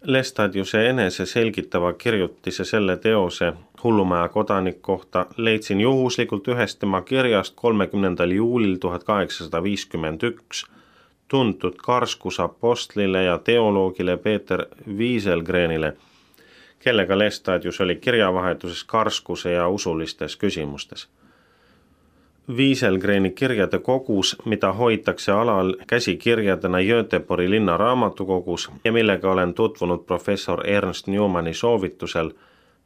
Lestadiuse enese selgitava kirjutise selle teose Hullumaja kodanik kohta leidsin juhuslikult ühest tema kirjast 30. juulil 1851 tuntud Karskuse apostlile ja teoloogile Peeter Wieselgrenile, kellega Lestadius oli kirjavahetuses Karskuse ja usulistes küsimustes. Wieselgreni kirjade kogus, mida hoitakse alal käsikirjadena Göteborgi linna raamatukogus ja millega olen tutvunud professor Ernst Newmani soovitusel,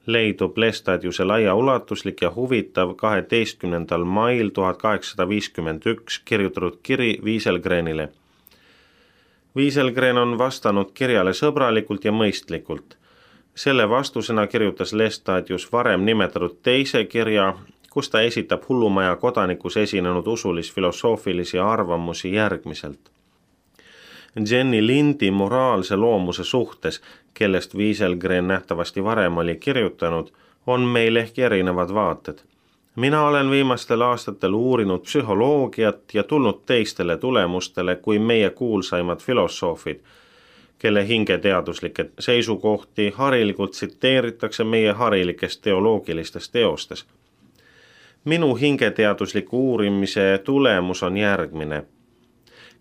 leidub Lestadiuse laiaulatuslik ja huvitav 12. mail 1851 kirjutatud kiri Wieselgrenile. Wieselgren on vastanud kirjale sõbralikult ja mõistlikult. Selle vastusena kirjutas Lestadius varem nimetatud teise kirja, kus ta esitab Hullumaja kodanikus esinenud usulis-filosoofilisi arvamusi järgmiselt. Jenny Lindi moraalse loomuse suhtes, kellest Wieselgren nähtavasti varem oli kirjutanud, on meil ehk erinevad vaated. Mina olen viimastel aastatel uurinud psühholoogiat ja tulnud teistele tulemustele kui meie kuulsaimad filosoofid, kelle hingeteaduslikke seisukohti harilikult tsiteeritakse meie harilikest teoloogilistes teostes. Minu hingeteadusliku uurimise tulemus on järgmine.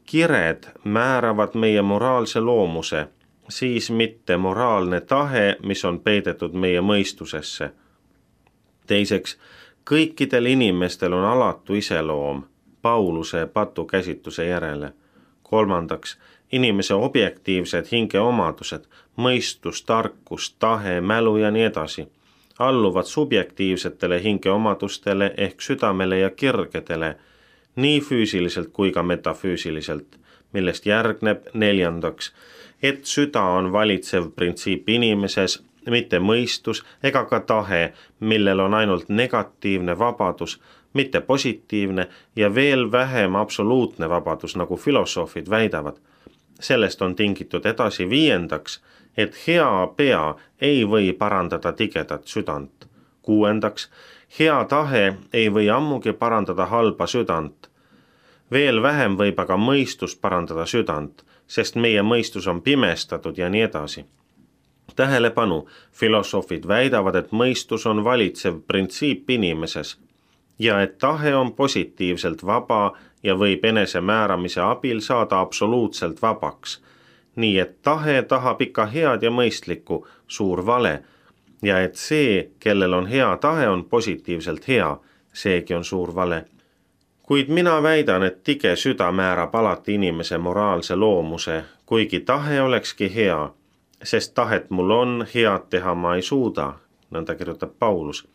Kired määravad meie moraalse loomuse, siis mitte moraalne tahe, mis on peidetud meie mõistusesse. Teiseks, kõikidel inimestel on alatu iseloom, Pauluse patukäsitluse järele. Kolmandaks, inimese objektiivsed hingeomadused, mõistus, tarkus, tahe, mälu ja nii edasi, alluvad subjektiivsetele hingeomadustele ehk südamele ja kirgedele, nii füüsiliselt kui ka metafüüsiliselt, millest järgneb neljandaks, et süda on valitsev printsiip inimeses, mitte mõistus ega ka tahe, millel on ainult negatiivne vabadus, mitte positiivne ja veel vähem absoluutne vabadus, nagu filosoofid väidavad. Sellest on tingitud edasi viiendaks, et hea pea ei või parandada tigedat südant. Kuuendaks, hea tahe ei või ammugi parandada halba südant. Veel vähem võib aga mõistus parandada südant, sest meie mõistus on pimestatud ja nii edasi. Tähelepanu, filosoofid väidavad, et mõistus on valitsev printsiip inimeses ja et tahe on positiivselt vaba ja võib enesemääramise abil saada absoluutselt vabaks. Nii et tahe tahab ikka head ja mõistlikku, suur vale, ja et see, kellel on hea tahe, on positiivselt hea, seegi on suur vale. Kuid mina väidan, et tige süda määrab alati inimese moraalse loomuse, kuigi tahe olekski hea, sest tahet mul on, head teha ma ei suuda, nõnda kirjutab Paulus.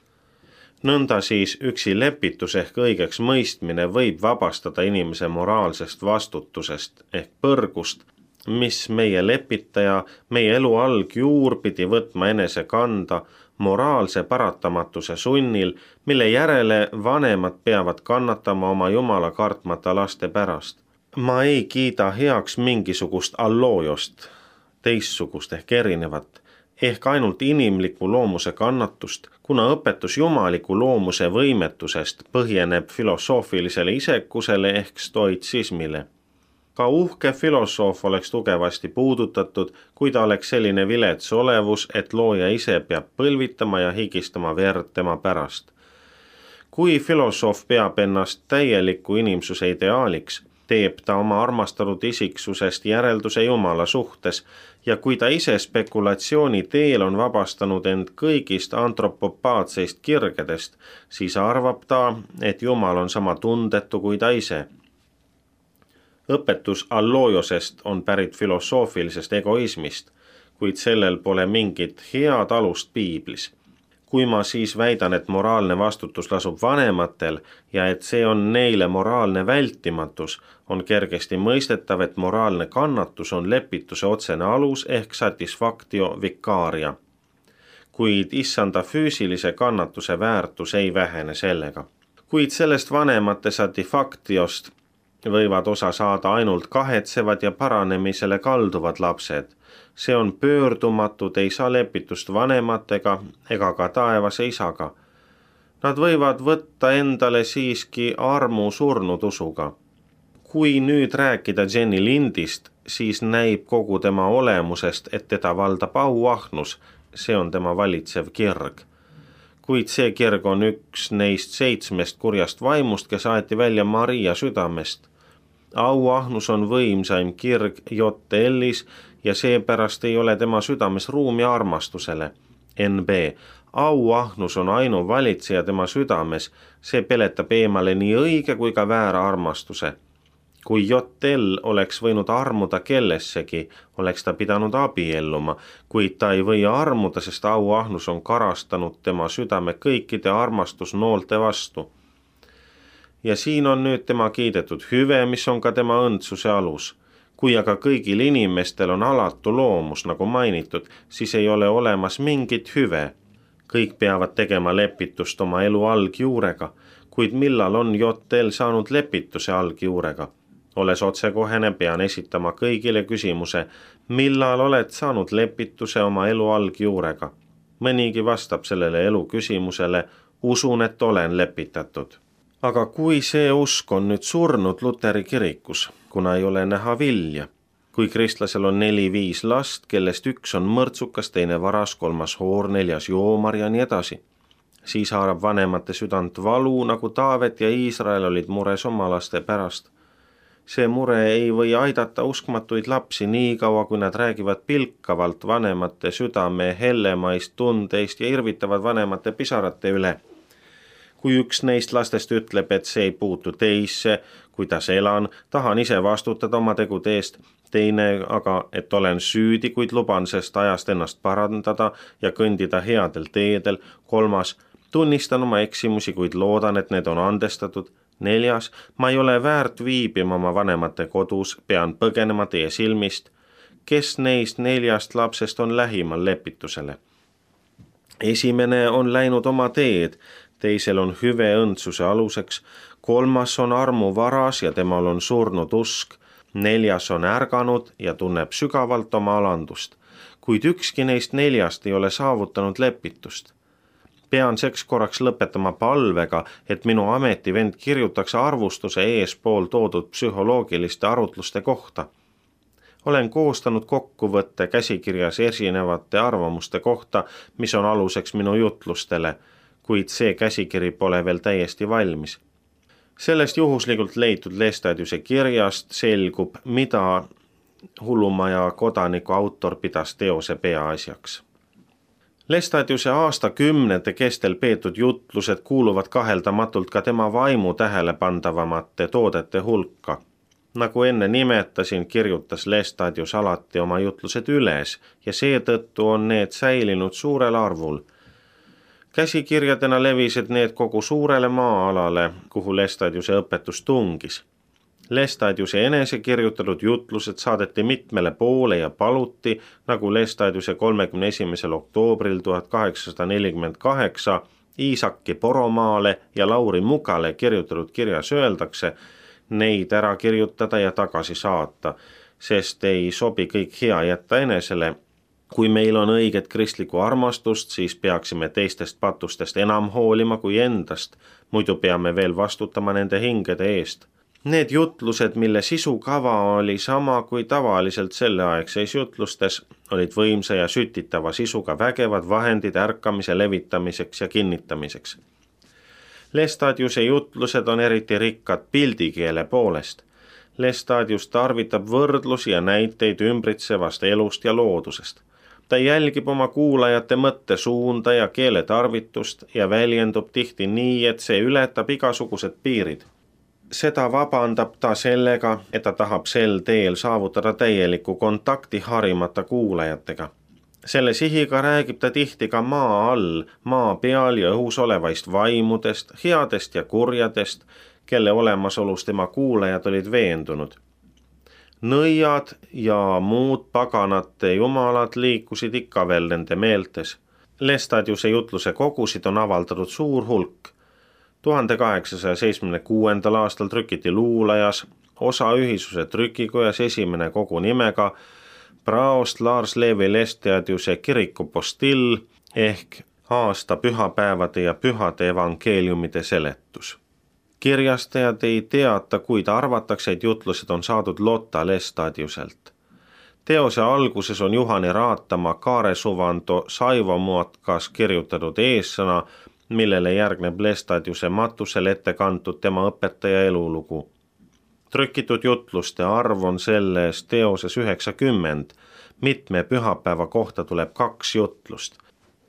Nõnda siis üksi lepitus ehk õigeks mõistmine võib vabastada inimese moraalsest vastutusest ehk põrgust, mis meie lepitaja, meie elu algjuur pidi võtma enese kanda moraalse paratamatuse sunnil, mille järele vanemad peavad kannatama oma jumala kartmata laste pärast. Ma ei kiida heaks mingisugust alloojost, teistsugust ehk erinevat, ehk ainult inimliku loomuse kannatust, kuna õpetus jumaliku loomuse võimetusest põhineb filosoofilisele isekusele ehk stoitsismile. Ka uhke filosoof oleks tugevasti puudutatud, kui ta oleks selline vilets olevus, et looja ise peab põlvitama ja higistama verd tema pärast. Kui filosoof peab ennast täieliku inimsuse ideaaliks, teeb ta oma armastatud isiksusest järelduse Jumala suhtes ja kui ta ise spekulatsiooni teel on vabastanud end kõigist antropopaatseist kirgedest, siis arvab ta, et Jumal on sama tundetu kui ta ise. Õpetus alloojosest on pärit filosoofilisest egoismist, kuid sellel pole mingit head alust piiblis. Kui ma siis väidan, et moraalne vastutus lasub vanematel ja et see on neile moraalne vältimatus, on kergesti mõistetav, et moraalne kannatus on lepituse otsene alus ehk satisfactio vicaria. Kuid issanda füüsilise kannatuse väärtus ei vähene sellega. Kuid sellest vanemate satisfactiost võivad osa saada ainult kahetsevad ja paranemisele kalduvad lapsed. See on pöördumatud, ei saa lepitust vanematega ega ka taevase isaga. Nad võivad võtta endale siiski armu surnud usuga. Kui nüüd rääkida Jenny Lindist, siis näib kogu tema olemusest, et teda valdab auahnus, see on tema valitsev kirg. Kuid see kirg on üks neist 7 kurjast vaimust, kes aeti välja Maria südamest. Auahnus on võimsaim kirg JL-is ja seepärast ei ole tema südames ruumi armastusele. NB. Auahnus on ainuvalitseja tema südames, see peletab eemale nii õige kui ka väära armastuse. Kui JL oleks võinud armuda kellessegi, oleks ta pidanud abielluma, kuid ta ei või armuda, sest auahnus on karastanud tema südame kõikide armastusnoolte vastu. Ja siin on nüüd tema kiidetud hüve, mis on ka tema õndsuse alus. Kui aga kõigil inimestel on alatu loomus, nagu mainitud, siis ei ole olemas mingit hüve. Kõik peavad tegema lepitust oma elu algjuurega, kuid millal on JL saanud lepituse algjuurega? Olles otsekohene, pean esitama kõigile küsimuse, millal oled saanud lepituse oma elu algjuurega? Mõnigi vastab sellele elu küsimusele, usun, et olen lepitatud. Aga kui see usk on nüüd surnud Luteri kirikus, kuna ei ole näha vilja, kui kristlasel on 4-5 last, kellest üks on mõrtsukas, teine varas, 3 hoor, 4 joomar ja nii edasi, siis haarab vanemate südant valu, nagu Taavet ja Iisrael olid mures oma laste pärast. See mure ei või aidata uskmatuid lapsi nii kaua, kui nad räägivad pilkavalt vanemate südame hellemaist tundeist ja irvitavad vanemate pisarate üle. Kui üks neist lastest ütleb, et see ei puutu teisse, kuidas elan, tahan ise vastutada oma tegude eest, teine aga, et olen süüdi, kuid luban sest ajast ennast parandada ja kõndida headel teedel, 3, tunnistan oma eksimusi, kuid loodan, et need on andestatud, 4, ma ei ole väärt viibima oma vanemate kodus, pean põgenema teie silmist. Kes neist 4 lapsest on lähimal lepitusele? Esimene on läinud oma teed, teisel on hüve õndsuse aluseks, 3 on armu varas ja temal on surnud usk, 4 on ärganud ja tunneb sügavalt oma alandust, kuid ükski neist 4 ei ole saavutanud lepitust. Pean seks korraks lõpetama palvega, et minu ametivend kirjutaks arvustuse eespool toodud psühholoogiliste arutluste kohta. Olen koostanud kokkuvõtte käsikirjas esinevate arvamuste kohta, mis on aluseks minu jutlustele, kuid see käsikiri pole veel täiesti valmis. Sellest juhuslikult leitud Laestadiuse kirjast selgub, mida Hullumaja kodaniku autor pidas teose peaasjaks. Laestadiuse aastakümnete kestel peetud jutlused kuuluvad kaheldamatult ka tema vaimu tähelepandavamate toodete hulka. Nagu enne nimetasin, kirjutas Laestadius alati oma jutlused üles ja seetõttu on need säilinud suurel arvul. Käsikirjadena levisid need kogu suurele maa-alale, kuhu Laestadiuse õpetus tungis. Laestadiuse enese kirjutatud jutlused saadeti mitmele poole ja paluti, nagu Laestadiuse 31. oktoobril 1848 Iisaki Poromaale ja Lauri Mugale kirjutatud kirjas öeldakse, neid ära kirjutada ja tagasi saata, sest ei sobi kõik hea jätta enesele. Kui meil on õiget kristlikku armastust, siis peaksime teistest patustest enam hoolima kui endast, muidu peame veel vastutama nende hingede eest. Need jutlused, mille sisukava oli sama kui tavaliselt selleaegseis jutlustes, olid võimsa ja sütitava sisuga vägevad vahendid ärkamise levitamiseks ja kinnitamiseks. Laestadiuse jutlused on eriti rikkad pildikeele poolest. Laestadius tarvitab võrdlusi ja näiteid ümbritsevast elust ja loodusest. Ta jälgib oma kuulajate mõttesuunda ja keeletarvitust ja väljendub tihti nii, et see ületab igasugused piirid. Seda vabandab ta sellega, et ta tahab sel teel saavutada täieliku kontakti harimata kuulajatega. Selle sihiga räägib ta tihti ka maa all, maa peal ja õhus olevaist vaimudest, headest ja kurjadest, kelle olemasolus tema kuulajad olid veendunud. Nõiad ja muud paganate jumalad liikusid ikka veel nende meeltes. Laestadiuse jutluse kogusid on avaldatud suur hulk. 1876. aastal trükiti Luulajas, osaühisuse trükikojas esimene kogu nimega Praost Lars Levi Laestadiuse kirikupostill ehk aasta pühapäevade ja pühade evangeeliumide seletus. Kirjastajad ei teata, kuid arvatakse, et jutlused on saadud Lotta Laestadiuselt. Teose alguses on Juhani Raatama Kaaresuvanto Saivo Muotkas kirjutatud eessõna, millele järgneb Lestadiuse matusel ette kantud tema õpetaja elulugu. Trükitud jutluste arv on selles teoses 90, mitme pühapäeva kohta tuleb 2 jutlust.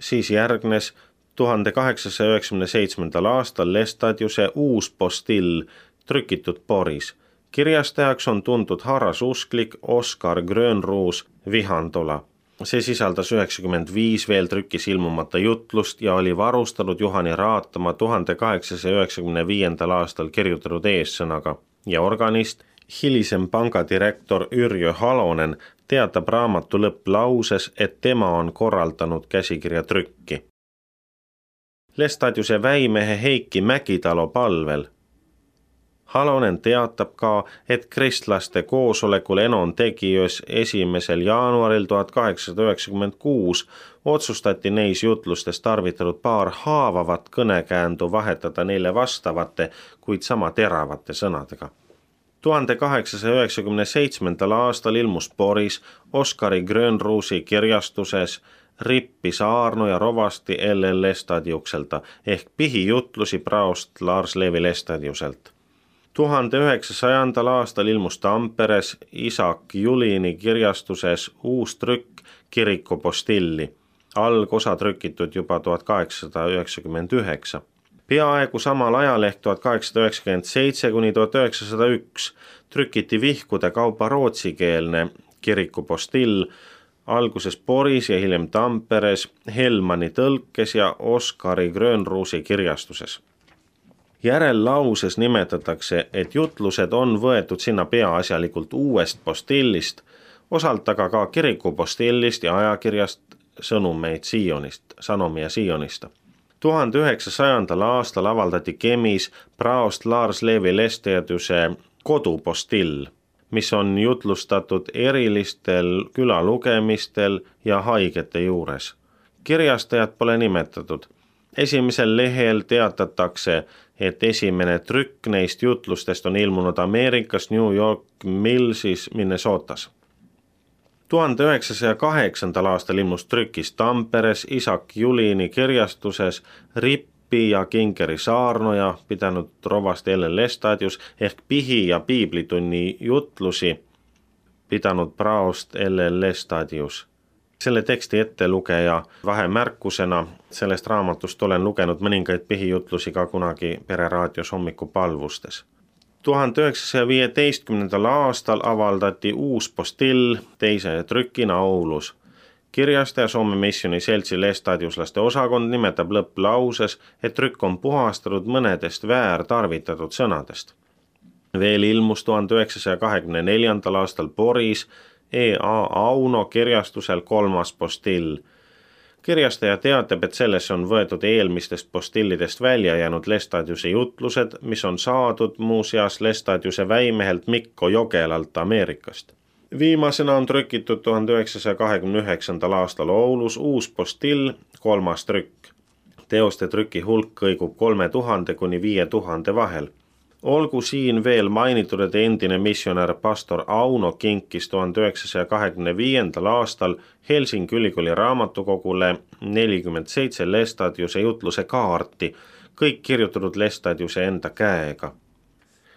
Siis järgnes 1897. aastal Lestadiuse uus postill, trükitud Boris. Kirjastajaks on tuntud harrasusklik Oskar Grönroos Vihandola. See sisaldas 95 veel trükis ilmumata jutlust ja oli varustatud Juhani Raatama 1895. aastal kirjutatud eessõnaga ja organist, hilisem pangadirektor Yrjö Halonen teatab raamatu lõpplauses, et tema on korraldanud käsikirja trükki. Lestadiuse väimehe Heiki Mägitalo palvel. Halonen teatab ka, et kristlaste koosolekul Enon tegijös 1. jaanuaril 1896 otsustati neis jutlustes tarvitatud paar haavavat kõnekäändu vahetada neile vastavate, kuid sama teravate sõnadega. 1897. aastal ilmus Boris Oskari Grönroosi kirjastuses Rippi Saarno ja rovasti L.L. Lestadiukselta ehk pihijutlusi praost Lars Levi Lestadiuselt. 1900. aastal ilmus Tamperes Isak Julini kirjastuses uus trükk Kiriku postilli, algosa trükitud juba 1899. Peaaegu samal ajal ehk 1897 kuni 1901 trükiti vihkude kaupa rootsikeelne Kiriku postill, alguses Boris ja hiljem Tamperes, Helmani tõlkes ja Oskari Grönroosi kirjastuses. Järellauses nimetatakse, et jutlused on võetud sinna peaasjalikult uuest postillist, osalt aga ka Kiriku postillist ja ajakirjast Sanomi ja Sionista. 1900. aastal avaldati Kemis praost Lars Levi Lestadiuse kodupostill, mis on jutlustatud erilistel külalugemistel ja haigete juures. Kirjastajat pole nimetatud. Esimesel lehel teatatakse, et esimene trükk neist jutlustest on ilmunud Ameerikas New York Millsis, Minnesotas. 1908. aastal ilmus trükis Tamperes Isak Julini kirjastuses Rippi ja Kinkeri saarnoja pidanud rovast L.L. Lestadius ehk pihi- ja piiblitunni jutlusi pidanud praost L.L. Lestadius. Selle teksti ettelugeja vahemärkusena sellest raamatust olen lugenud mõningaid pihijutlusi ka kunagi Pereraadios hommikupalvustes. 1915. aastal avaldati uus postill teise trükina Oulus. Kirjastaja Soome Missioni seltsi lestadiuslaste osakond nimetab lõpplauses, et trükk on puhastatud mõnedest väärtarvitatud sõnadest. Veel ilmus 1924. aastal Boris E.A. Auno kirjastusel 3. postill. Kirjastaja teatab, et sellesse on võetud eelmistest postillidest välja jäänud Lestadiuse jutlused, mis on saadud muuseas Lestadiuse väimehelt Mikko Jogelalt Ameerikast. Viimasena on trükitud 1929. aastal Oulus uus postill, 3. trükk. Teoste trüki hulk kõigub 3000 kuni 5000 vahel. Olgu siin veel mainitud, et endine missionär pastor Auno kinkis 1925. aastal Helsingi ülikooli raamatukogule 47 Lestadiuse jutluse kaarti, kõik kirjutatud Lestadiuse enda käega.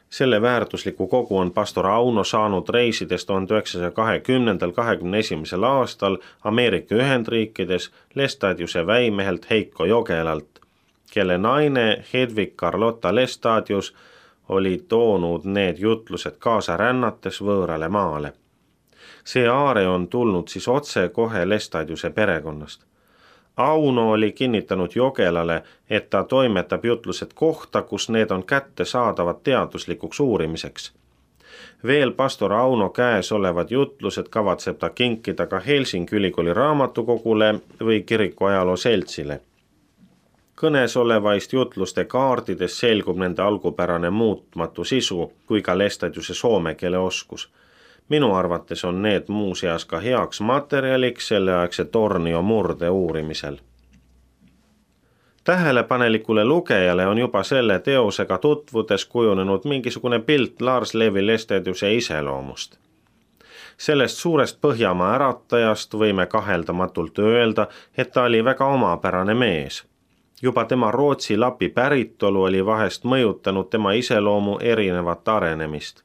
Selle väärtusliku kogu on pastor Auno saanud reisides 1920.–21. aastal Ameerika Ühendriikides Lestadiuse väimehelt Heiko Jogelalt, kelle naine Hedvig Carlotta Lestadius oli toonud need jutlused kaasa rännates võõrale maale. See aare on tulnud siis otse kohe Lestadiuse perekonnast. Auno oli kinnitanud Jogelale, et ta toimetab jutlused kohta, kus need on kättesaadavad teaduslikuks uurimiseks. Veel pastor Auno käes olevad jutlused kavatseb ta kinkida ka Helsingi ülikooli raamatukogule või kiriku ajaloo seltsile. Kõnes olevaist jutluste kaardides selgub nende algupärane muutmatu sisu kui ka Lestadiuse soome keele oskus. Minu arvates on need muuseas ka heaks materjaliks selleaegse Tornio murde uurimisel. Tähelepanelikule lugejale on juba selle teosega tutvudes kujunenud mingisugune pilt Lars Levi Lestadiuse iseloomust. Sellest suurest Põhjamaa äratajast võime kaheldamatult öelda, et ta oli väga omapärane mees. Juba tema Rootsi Lapi päritolu oli vahest mõjutanud tema iseloomu erinevat arenemist.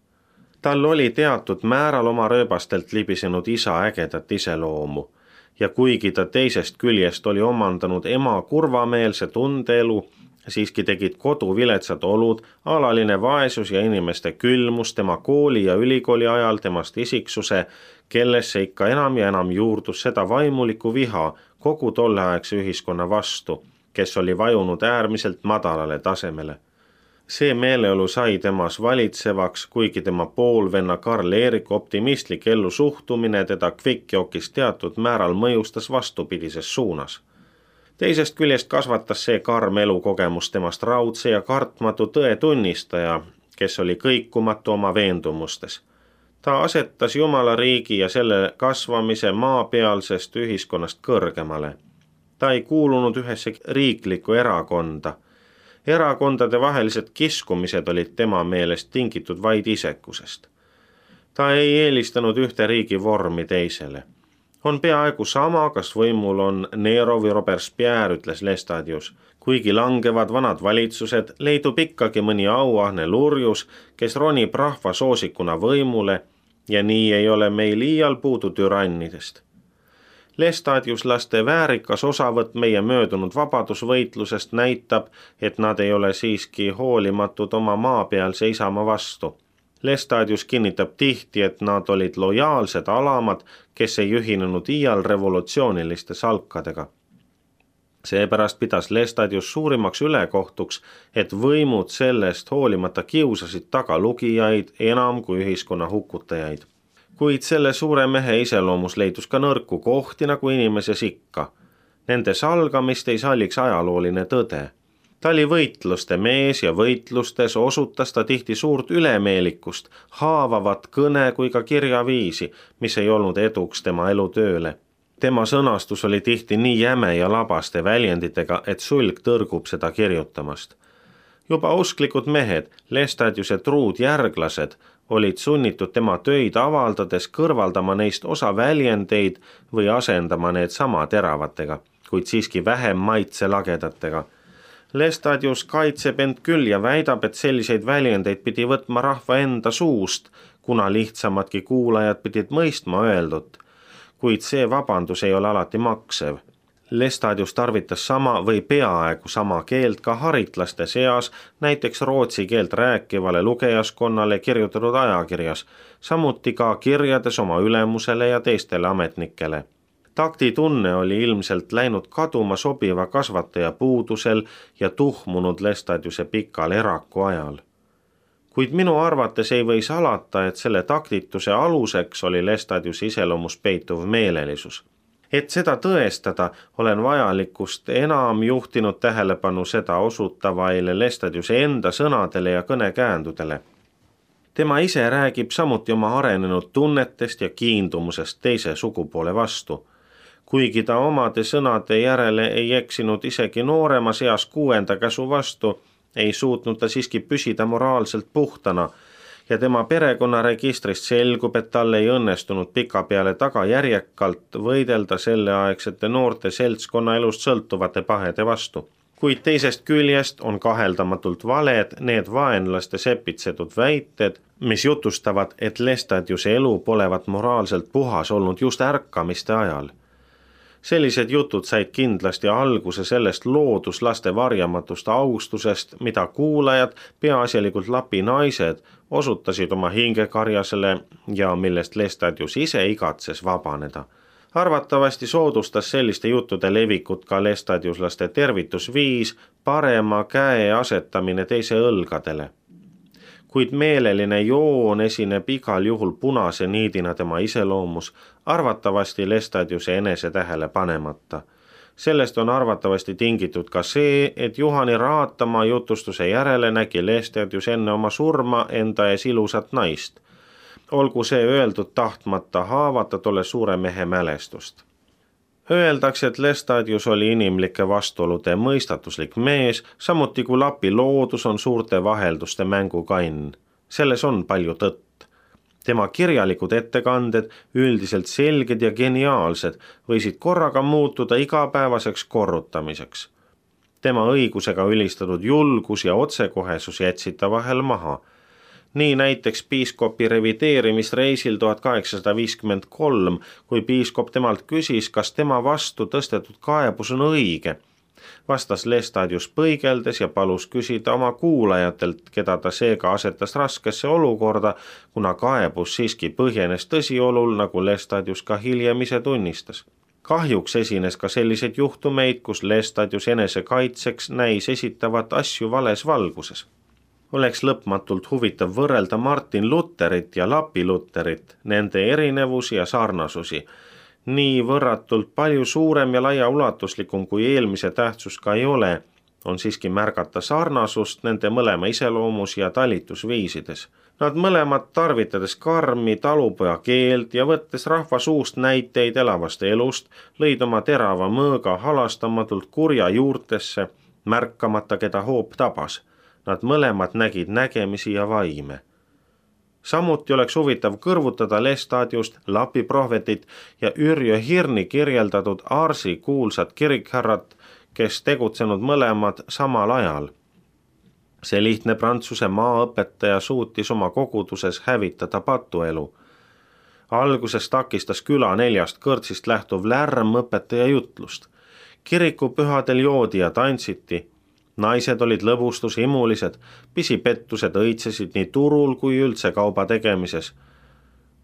Tal oli teatud määral oma rööbastelt libisenud isa ägedat iseloomu ja kuigi ta teisest küljest oli omandanud ema kurvameelse tundeelu, siiski tegid koduviletsad olud, alaline vaesus ja inimeste külmus tema kooli ja ülikooli ajal temast isiksuse, kellesse ikka enam ja enam juurdus seda vaimulikku viha kogu tolleaegse ühiskonna vastu, kes oli vajunud äärmiselt madalale tasemele. See meeleolu sai temas valitsevaks, kuigi tema poolvenna Karl Erik optimistlik ellu suhtumine teda kvikkjokis teatud määral mõjustas vastupidises suunas. Teisest küljest kasvatas see karm elukogemus temast raudse ja kartmatu tõe tunnistaja, kes oli kõikumatu oma veendumustes. Ta asetas Jumala riigi ja selle kasvamise maapealsest ühiskonnast kõrgemale. Ta ei kuulunud ühesse riiklikku erakonda. Erakondade vahelised kiskumised olid tema meelest tingitud vaid isekusest. Ta ei eelistanud ühte riigi vormi teisele. On peaaegu sama, kas võimul on Nero või Robespierre, ütles Lestadius. Kuigi langevad vanad valitsused, leidub ikkagi mõni auahne lurjus, kes ronib rahva soosikuna võimule ja nii ei ole meil iial puudu türannidest. Lestadiuslaste väärikas osavõtt meie möödunud vabadusvõitlusest näitab, et nad ei ole siiski hoolimatud oma maapealse isamaa vastu. Lestadius kinnitab tihti, et nad olid lojaalsed alamad, kes ei ühinenud iial revolutsiooniliste salkadega. Seepärast pidas Lestadius suurimaks ülekohtuks, et võimud sellest hoolimata kiusasid taga lugijaid enam kui ühiskonna hukutajaid. Kuid selle suure mehe iseloomus leidus ka nõrku kohti nagu inimeses ikka. Nende salgamist ei salliks ajalooline tõde. Ta oli võitluste mees ja võitlustes osutas ta tihti suurt ülemeelikust, haavavat kõne kui ka kirjaviisi, mis ei olnud eduks tema elutööle. Tema sõnastus oli tihti nii jäme ja labaste väljenditega, et sulg tõrgub seda kirjutamast. Juba usklikud mehed, Lestadiuse truud järglased, olid sunnitud tema töid avaldades kõrvaldama neist osa väljendeid või asendama need sama teravatega, kuid siiski vähem maitselagedatega. Lestadius kaitseb end küll ja väidab, et selliseid väljendeid pidi võtma rahva enda suust, kuna lihtsamadki kuulajad pidid mõistma öeldut, kuid see vabandus ei ole alati maksev. Lestadius tarvitas sama või peaaegu sama keelt ka haritlaste seas, näiteks rootsi keelt rääkivale lugejaskonnale kirjutatud ajakirjas, samuti ka kirjades oma ülemusele ja teistele ametnikele. Taktitunne oli ilmselt läinud kaduma sobiva kasvataja puudusel ja tuhmunud Lestadiuse pikal eraku ajal. Kuid minu arvates ei või salata, et selle taktituse aluseks oli Lestadiuse iseloomus peituv meelelisus. Et seda tõestada, olen vajalikust enam juhtinud tähelepanu seda osutavaile Lestadiuse enda sõnadele ja kõnekäändudele. Tema ise räägib samuti oma arenenud tunnetest ja kiindumusest teise sugupoole vastu. Kuigi ta omade sõnade järele ei eksinud isegi nooremas eas 6. käsu vastu, ei suutnud ta siiski püsida moraalselt puhtana ja tema perekonnaregistrist selgub, et tal ei õnnestunud pikapeale tagajärjekalt võidelda selleaegsete noorte seltskonna elust sõltuvate pahede vastu. Kuid teisest küljest on kaheldamatult valed need vaenlaste sepitsetud väited, mis jutustavad, et Lestadiuse elu polevat moraalselt puhas olnud just ärkamiste ajal. Sellised jutud said kindlasti alguse sellest looduslaste varjamatust austusest, mida kuulajad, peaasjalikult Lapi naised, osutasid oma hingekarjasele ja millest Lestadius ise igatses vabaneda. Arvatavasti soodustas selliste juttude levikut ka lestadiuslaste tervitusviis, parema käe asetamine teise õlgadele. Kuid meeleline joon esineb igal juhul punase niidina tema iseloomus, arvatavasti Lestadiuse enese tähele panemata. Sellest on arvatavasti tingitud ka see, et Juhani Raatamaa jutustuse järele nägi Lestadius enne oma surma enda ees ilusat naist. Olgu see öeldud tahtmata haavata tolle suure mehe mälestust. Öeldakse, et Lestadius oli inimlike vastuolude mõistatuslik mees, samuti kui Lapi loodus on suurte vahelduste mängukann. Selles on palju tõtt. Tema kirjalikud ettekanded, üldiselt selged ja geniaalsed, võisid korraga muutuda igapäevaseks korrutamiseks. Tema õigusega ülistatud julgus ja otsekohesus jätsid ta vahel maha. Nii näiteks piiskopi revideerimisreisil 1853, kui piiskop temalt küsis, kas tema vastu tõstetud kaebus on õige. Vastas Lestadius põigeldes ja palus küsida oma kuulajatelt, keda ta seega asetas raskesse olukorda, kuna kaebus siiski põhjenes tõsiolul, nagu Lestadius ka hiljem ise tunnistas. Kahjuks esines ka selliseid juhtumeid, kus Lestadius enesekaitseks näis esitavat asju vales valguses. Oleks lõpmatult huvitav võrrelda Martin Luterit ja Lapi Luterit, nende erinevusi ja sarnasusi. Nii võrratult palju suurem ja laiaulatuslikum kui eelmise tähtsus ka ei ole, on siiski märgata sarnasust nende mõlema iseloomus ja talitusviisides. Nad mõlemad tarvitades karmi talupoja keelt ja võttes rahva suust näiteid elavast elust, lõid oma terava mõõga halastamatult kurja juurtesse, märkamata keda hoop tabas. Nad mõlemad nägid nägemisi ja vaime. Samuti oleks huvitav kõrvutada Lestadiust, Lapi prohvetit ja Yrjö Hirni kirjeldatud Arsi kuulsat kirikhärrat, kes tegutsenud mõlemad samal ajal. See lihtne Prantsuse maaõpetaja suutis oma koguduses hävitada patuelu. Alguses takistas küla 4 kõrtsist lähtuv lärm õpetaja jutlust. Kirikupühadel joodi ja tantsiti. Naised olid lõbustushimulised, pisipettused õitsesid nii turul kui üldse kauba tegemises.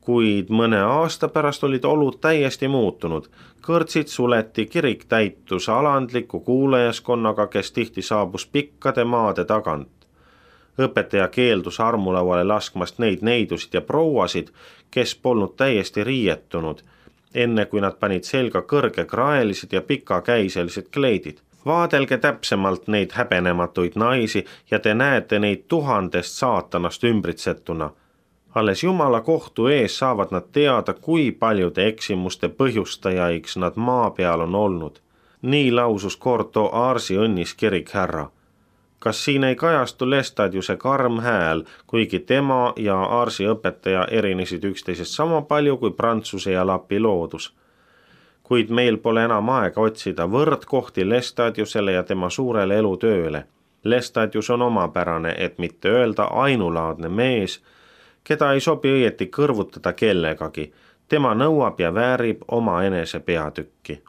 Kuid mõne aasta pärast olid olud täiesti muutunud. Kõrtsid suleti, kirik täitus alandliku kuulajaskonnaga, kes tihti saabus pikkade maade tagant. Õpetaja keeldus armulauale laskmast neid neidusid ja prouasid, kes polnud täiesti riietunud, enne kui nad panid selga kõrgekraelised ja pikakäiselised kleidid. Vaadelge täpsemalt neid häbenematuid naisi ja te näete neid 1000 saatanast ümbritsetuna. Alles Jumala kohtu ees saavad nad teada, kui paljude eksimuste põhjustajaiks nad maa peal on olnud. Nii lausus Corto Arsi õnnis kirikhärra. Kas siin ei kajastu Lestadiuse karm hääl, kuigi tema ja Arsi õpetaja erinesid üksteisest sama palju kui Prantsuse ja Lapi loodus? Kuid meil pole enam aega otsida võrdkohti Lestadiusele ja tema suurele elutööle. Lestadius on omapärane, et mitte öelda ainulaadne mees, keda ei sobi õieti kõrvutada kellegagi. Tema nõuab ja väärib oma enese peatükki.